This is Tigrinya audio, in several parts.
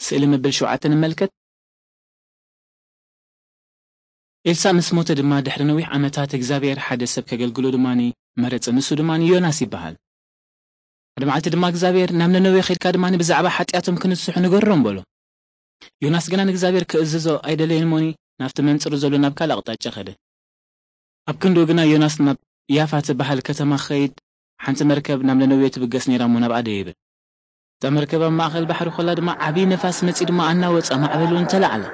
ስእሊ መበል ሸውዓተ ንመልከት። ኤልሳእ ምስ ሞተ ድማ ድሕሪ ነዊሕ ዓመታት እግዚኣብሔር ሓደ ሰብ ከገልግሎ ድማ መረጸ። ንሱ ድማ ዮናስ ይበሃል። ሓደ መዓልቲ ድማ እግዚኣብሔር ናብ ነነዌ ኸድካ ድማ ብዛዕባ ሓጢኣቶም ክንስሑ ንገሮም በሎ። ዮናስ ግና ንእግዚኣብሔር ክእዝዞ ኣይደለየን እሞኒ ናብቲ መንጽሩ ዘሎ ናብ ካልእ ኣቕጣጫ ኸደ። ኣብ ክንድኡ ግና ዮናስ ናብ ያፋ ትበሃል ከተማ ክኸይድ ሓንቲ መርከብ ናብ ነነዌ ትብገስ ነይራ እሞ ናብኣ ደየበ። እታ መርከብ ኣብ ማእኸል ባሕሪ ኮላ ድማ ዓብዪ ነፋስ መጺኡ ድማ ኣናወጻ፣ ማዕበል እውን ተላዕለ።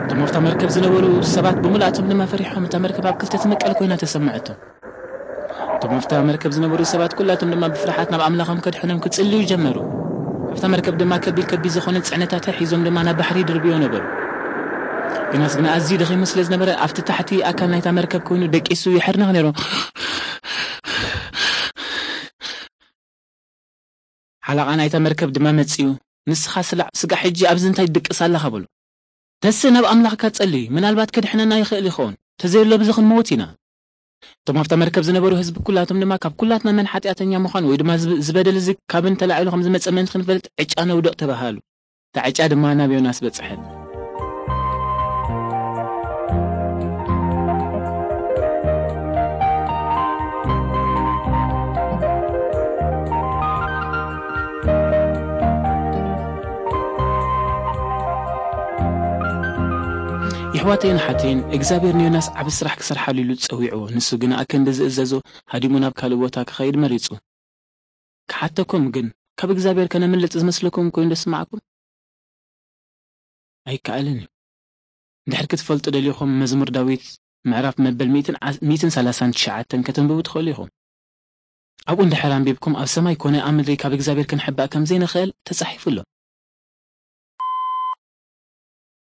እቶም ኣብታ መርከብ ዝነበሩ ሰባት ብምልኣቶም ድማ ፈሪሖም፣ እታ መርከብ ኣብ ክልተ ትምቀል ኮይና ተሰምዐቶም። እቶም ኣብታ መርከብ ዝነበሩ ሰባት ኩላቶም ድማ ብፍርሓት ናብ ኣምላኾም ከድሕኖም ክጽልዩ ጀመሩ። ኣብታ መርከብ ድማ ከቢድ ከቢድ ዝኾነ ጽዕነታት ሒዞም ድማ ናብ ባሕሪ ይድርብዮ ነበሩ። ዮናስ ግና ኣዝዩ ደኺሙ ስለ ዝነበረ ኣብቲ ታሕቲ ኣካል ናይታ መርከብ ኮይኑ ደቂሱ ይሕርነኽ ነይሩ። ሓላቓ ናይታ መርከብ ድማ መጺኡ፣ "ንስኻ ስላዕ ስጋዕ ሕጂ ኣብዚ እንታይ ትድቅስ ኣለኻ?" በሎ። "ተስእ ናብ ኣምላኽካ ጸሊ፣ ምናልባት ከድሕነና ይኽእል ይኸውን፣ ተዘየሎ ብዚ ክንመውት ኢና።" እቶም ኣብታ መርከብ ዝነበሩ ህዝቢ ኩላቶም ድማ ካብ ኩላትና መን ሓጢኣተኛ ምዃን ወይ ድማ ዝብ-፣ ዝበደል እዚ ካብን ተላዒሉ ከም ዝመጸ ምእንቲ ክንፈልጥ ዕጫ ነውድቕ ተባሃሉ። እታ ዕጫ ድማ ናብ ዮናስ በጽሐት። የሕዋተይን ሓተይን እግዚኣብሔር ንዮናስ ዓቢ ስራሕ ክሰርሓሉ ኢሉ ጸዊዕዎ። ንሱ ግና ኣከንዲ ዝእዘዞ ሃዲሙ ናብ ካልእ ቦታ ክኸይድ መሪጹ። ክሓተኩም ግን፣ ካብ እግዚኣብሔር ከነምልጥ ዝመስለኩም ኮይኑ ዶ ስማዕኩም? ኣይከኣልን እዩ። እንድሕር ክትፈልጡ ደሊኹም፣ መዝሙር ዳዊት ምዕራፍ መበል ሚእትን ዓ-፣ ሚእትን ሰላሳን ትሽዓተን ከተንብቡ ትኽእሉ ኢኹም። ኣብኡ እንድሕር ኣንቢብኩም፣ ኣብ ሰማይ ኮነ ኣብ ምድሪ ካብ እግዚኣብሔር ክንሕባእ ከም ዘይንኽእል ተጻሒፉ ኣሎ።